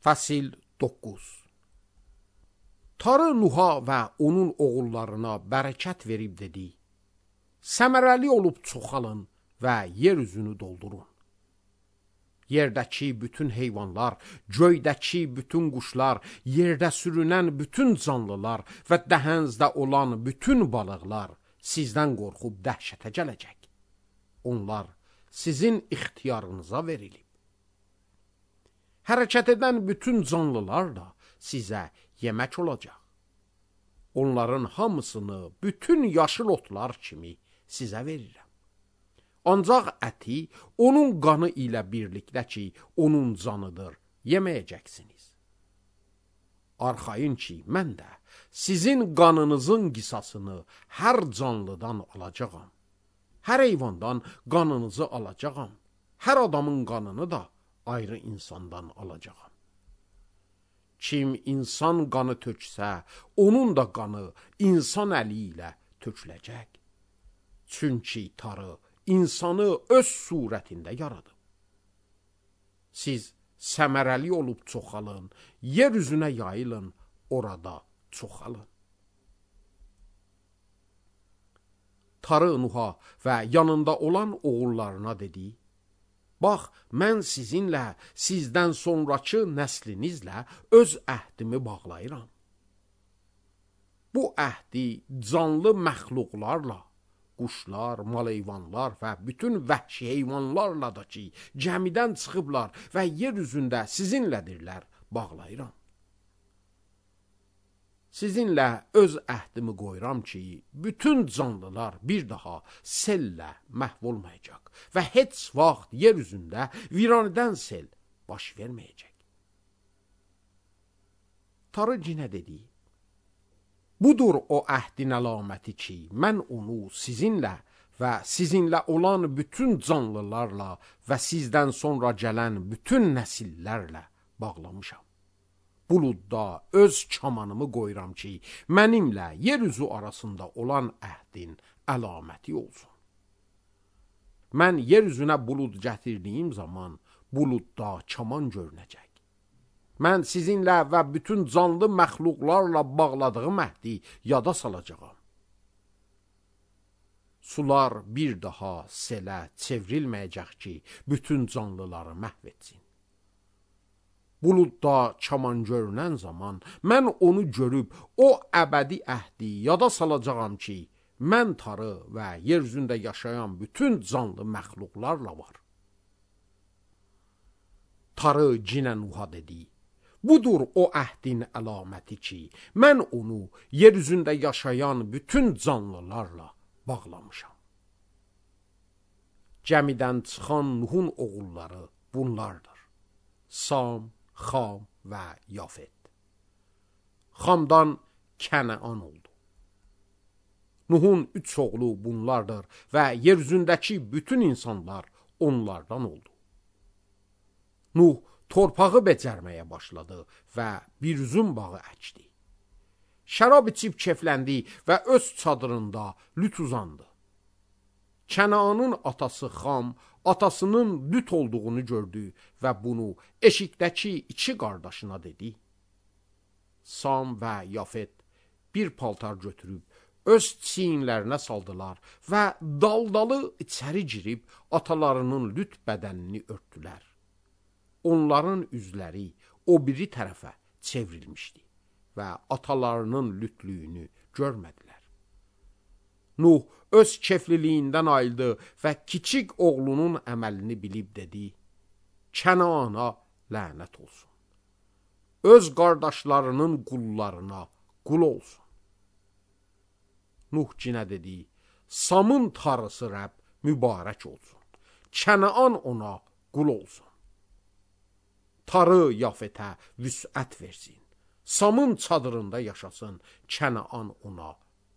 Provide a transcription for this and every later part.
Fəsil 9. Tarı Nuha və onun oğullarına bərəkət verib dedi: Səmərəli olub çoxalın və yer üzünü doldurun. Yerdəki bütün heyvanlar, göydəki bütün quşlar, yerdə sürünən bütün canlılar və dəhənzdə olan bütün balıqlar sizdən qorxub dəhşətə gələcək. Onlar sizin ixtiyarınıza verilib. Hərəkət edən bütün canlılar da sizə yemək olacaq. Onların hamısını bütün yaşıl otlar kimi sizə verirəm. Ancaq əti onun qanı ilə birlikdə ki, onun canıdır, yeməyəcəksiniz. Arxayın ki, mən də sizin qanınızın qisasını hər canlıdan alacağam. Hər heyvandan qanınızı alacağam. Hər adamın qanını da ayrı insandan alacağam. Kim insan qanı töksə, onun da qanı insan əli ilə töküləcək. Çünki Tanrı insanı öz surətində yaradıb. Siz səmərəli olub çoxalın, yer üzünə yayılın, orada çoxalın. Tanrı Nuha və yanında olan oğullarına dedi: Bax, mən sizinlə, sizdən sonrakı nəslinizlə öz əhdimi bağlayıram. Bu əhdi canlı məxluqlarla, quşlar, mal-heyvanlar və bütün vəhşi heyvanlarla da ki, gəmidən çıxıblar və yer üzündə sizinlədirlər, bağlayıram. Sizinlə öz əhdimi qoyuram ki, bütün canlılar bir daha sellə məhv olmayacaq və heç vaxt yer üzündə viranədən sel baş verməyəcək. Tanrı yenə dedi: Budur o əhdin əlaməti ki, mən onu sizinlə və sizinlə olan bütün canlılarla və sizdən sonra gələn bütün nəsillərlə bağlamışam. Buludda öz kamanımı qoyuram ki, mənimlə yer üzü arasında olan əhdin əlaməti olsun. Mən yer üzünə bulud gətirdiyim zaman buludda kaman görünəcək. Mən sizinlə və bütün canlı məxluqlarla bağladığım əhdi yada salacağam. Sular bir daha selə çevrilməyəcək ki, bütün canlıları məhv etsin. Buludda kaman görünən zaman mən onu görüb o əbədi əhdi yada salacağam ki, mən Tanrı və yer üzündə yaşayan bütün canlı məxluqlarla var. Tanrı yenə Nuha dedi: Budur o əhdin əlaməti ki, mən onu yer üzündə yaşayan bütün canlılarla bağlamışam. Gəmidən çıxan Nuhun oğulları bunlardır: Sam, Xam və Yafet. Xamdan Kənəan oldu. Nuhun 3 oğlu bunlardır və yer üzündəki bütün insanlar onlardan oldu. Nuh torpağı becərməyə başladı və bir üzüm bağı əkdi. Şərab içib kefləndi və öz çadırında lüt uzandı. Kənanın atası Xam, atasının lüt olduğunu gördü və bunu eşikdəki 2 qardaşına dedi. Sam və Yafet bir paltar götürüb öz çiyinlərinə saldılar və daldalı içəri girib atalarının lüt bədənini örtdülər. Onların üzləri o biri tərəfə çevrilmişdi və atalarının lütlüyünü görmədilər. Nuh öz kefliliyindən ayıldı və kiçik oğlunun əməlini bilib dedi: Kənana lənət olsun. Öz qardaşlarının qullarına qul olsun. Nuh yenə dedi: Samın Tanrısı Rəbb mübarək olsun. Kənaan ona qul olsun. Tanrı Yafetə vüsət versin. Samın çadırında yaşasın. Kənaan ona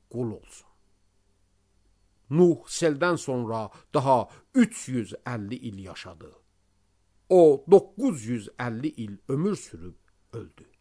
qul olsun. Nuh seldən sonra daha 350 il yaşadı. O 950 il ömür sürüb öldü.